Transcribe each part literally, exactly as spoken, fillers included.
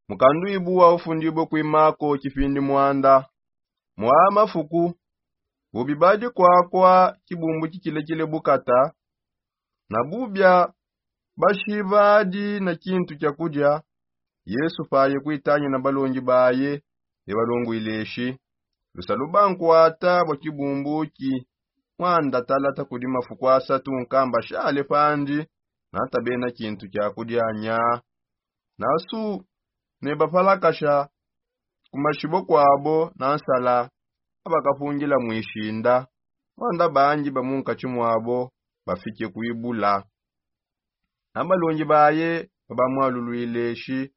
Mukanduibu wa ufundibue kuimako kipindi muanda. Mwa mafuku bubi badi kwakwa kibumbu kikilekile bukata, na bubia bashi badi na kintu kia kudia. Yesu paye kuitanya na balongi baye, ne balonguileshi lusalu bankwata bwa kibumbuki. Mwanda talata kudi mafuku asatu nkamba shale pandi, nata bena kintu kia kudia nya. Nasu ne bapalakasha ku mashibo kwabo na nsala, abakapungila mwishinda. Mwanda bangi ba munkatshi mwabo bafike kuibula. Na balongi baye babamwaluluileshi,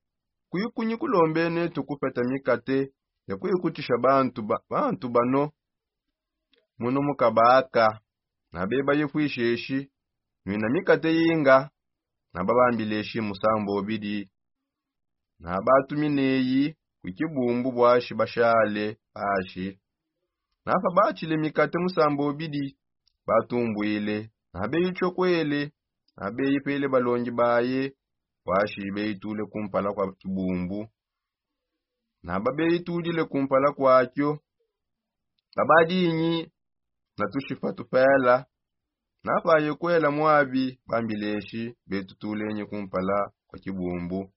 kuikunyi kulombenetu kupeta mikate ya kuikutisha bantu ba- bantu bano? Muno mukabaka. Na beba yifwisheshi, nwina mikate yinga? Na babambileshi, musambo obidi. Na batumineyi ku kibumbu bwashi bashale pashi. Na pabatshile mikate musambo obidi, batumbwile. Na beyitshokwele, na beyipele balongi baye, bwashi beyitule kumpala kwa kibumbu. Na babeyitulile kumpala kwakio, babadinyi na tushipa tupela. Na paye kwela mwabi, bambileshi, betutulenyi kumpala kwa kibumbu.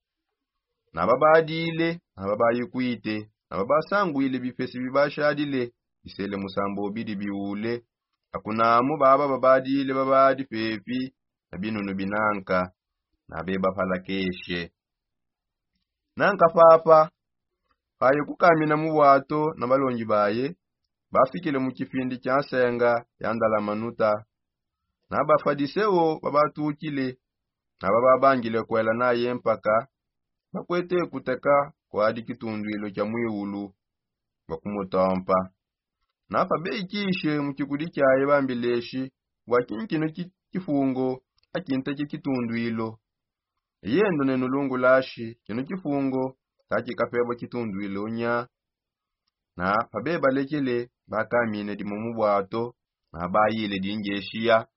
Na babadile, na babayikwite, na babasangwile bipesi bibashadile, bisele musambo obidi biule. Akunamu baba babadile babadi pepi na binunu binanka, na bebapalakeshe. Nanka papa paye kukamina mu bwato na balongi baye, bafikile mu kipindi kia nsenga ya ndalamanuta. Na bafadiseo babatukile, na bababangile kwela naye mpaka bakwete kuteka kwadi kitundwilo kia mwiulu, bakumutompa. Na pabeyikishe mu kikudi kiaye, bambileshi, bwa kinyi kino ki- kifungo akinteke kitundwilo? Yendo nenulungulashi, kino kifungo kakikapebwa kitundwilo nya. Na pabebalekele, bakamine dimo mu bwato, na bayile dingeshiya.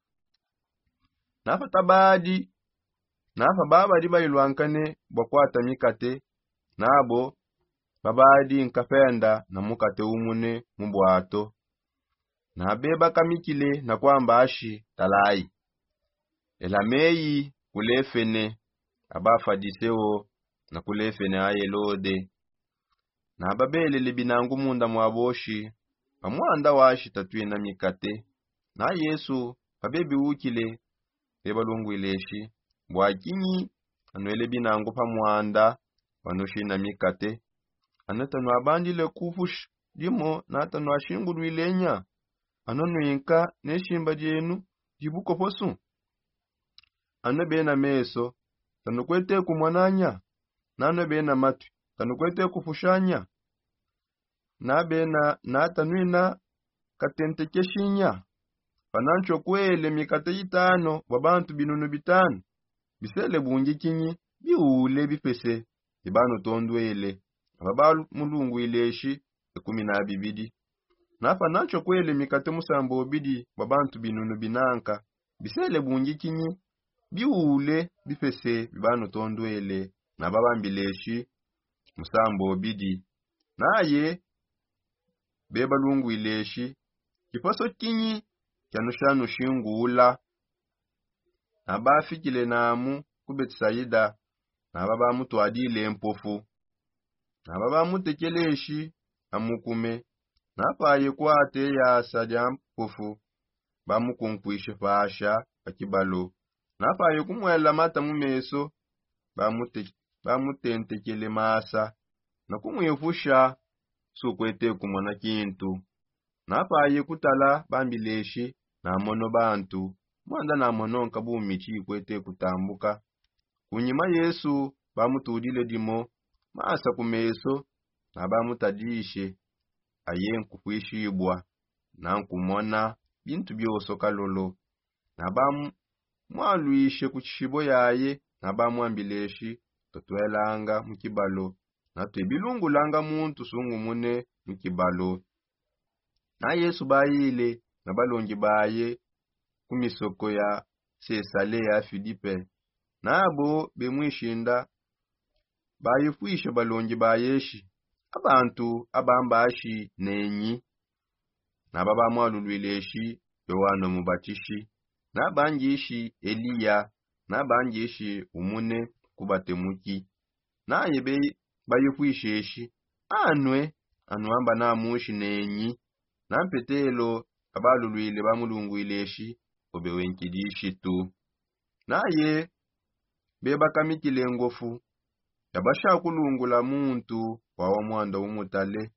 Na patabadi, na pababadi bayilwankane bwa kwata mikate, nabo babadi nkapenda na mukate umune mu bwato. Na bebakamikile na kwamba ashi, talayi, elameyi kulefene abafadiseo na kulefene a Helode. Na babelele binangu munda mwa boshi, pa mwanda washi tatwina mikate. Na Yesu pabebiukile, bebalungwileshi, bwa kinyi anwele binangu pa mwanda wanushina mikate? Ano tanwabandile kupusha dimo na tanwashingulwile nya? Ano nwinka ne shimba dienu dibukoposu? Ano bena meso, tanukwete kumona nya? Nano bena matwi, tanukwete kupusha nya? Na bena nata nwina katentekeshi nya? Panantshokwele mikate itano bwa bantu binunu bitano, bisele bungi kinyi? Biule bipese bibanutondwele. Aba bamulungwileshi, ikumi na bibidi. Na panantshokwele mikate musambo obidi bwa bantu binunu binanka, bisele bungi kinyi? Biule bipese bibanutondwele. Na babambileshi, musambo obidi. Naye bebalungwileshi, kiposo kinyi kianushanushingula? Na bafikile namu ku Betisaida, na babamutwadile mpofu. Na babamutekeleshi amukume, na paye kwate yasa dia mpofu, bamukunkwishe pasha pa kibalo. Na paye kumwela mata mu meso, bamute- bamutentekele masa na kumwipusha, sukwete kumona kintu. Na paye kutala, bambileshi, namono bantu. Mwanda namono nkabumichi ikwete kutambuka. Kunyima Yesu bamutudile dimo masa ku meso, na bamutadishe, aye nkukwishibwa, na nkumona bintu bioso kalolo. Na bamwalwishe ku tshishibo yaye, na bamwambileshi, tutwelanga mu kibalo, na twebilungulanga muntu sungumune mu kibalo. Na Yesu bayile na balongi baye ku misoko ya Sesalea Filipe. Nabo bemwishinda Bayifuisha balongi bayeshi, abantu abambashi nenyi? Naba bamwalulwileshi, yohane mubatishi, nabangishi eliya, nabangishi umune kubatemuki. Naye be bayifwisheshi, anwe anwamba namushi nenyi? Nampetelo abalulwile bamulungwileshi, obe wenkilishitu. Naye bebakamikile ngofu, yabasha kulungula muntu wawa mwanda umutale.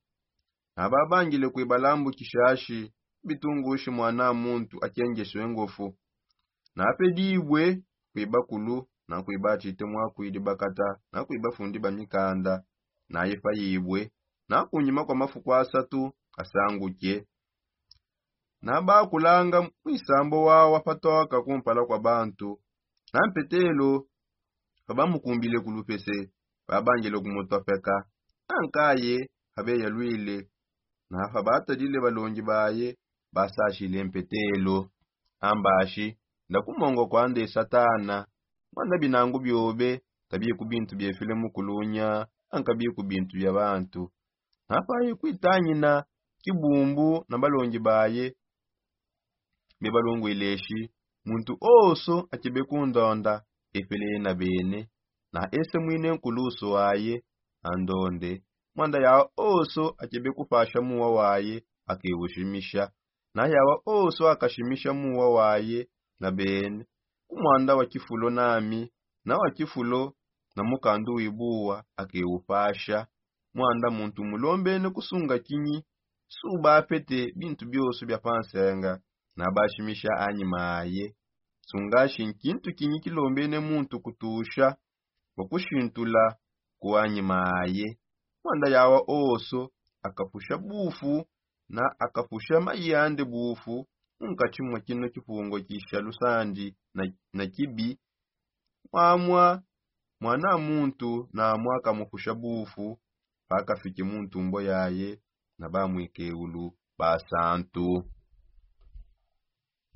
Nababangile kwibalambukishashi bitungushi mwana muntu akengeshe ngofu. Napedibwe kwibakulu, nakwibatite mwakwidi bakata, nakwibafundi bamikanda, naifayibwe, nakunyima kwa mafuku asatu asanguke. Nabakulanga mwisambo wawa patoka kumpala kwa bantu. Nampetelo pabamukumbile kulupese, babangile kumutopeka. Ankaye abeyalwile, na pabatadile balongi baye, basashile mpetelo. Ambashi, ndakumongo kwande satana, mwanda binangu biobe tabiku bintu biefile mukulunya, ankabiku bintu bia bantu. Napaye kwitangina kibumbu na balongi baye, bebalungwileshi, muntu oso akebe kundonda, epeleye na bene, na ese mwine nkulusu waye andonde. Mwanda yawa oso akebe kupasha muwa waye akewushimisha, na yawa oso akashimisha muwa waye na bene, kumwanda wa kifulo nami, na wa kifulo na mukandu wibuwa akewupasha. Mwanda muntu mulombene kusunga kinyi? Subapete bintu bioso bia pansenga, nabashimisha anyima aye. Sungashi nkintu kinyi kilombene muntu kutusha wakushintula kuanyima aye? Mwanda yawa oso akapusha bufu, na akapusha mayi ande bufu, munkatshi mwa kino kipungo kisha lusandi na, na kibi, mwamwa mwana muntu namwa akamupusha bufu, pakafiki muntumbo yaye na bamwikeulu basantu.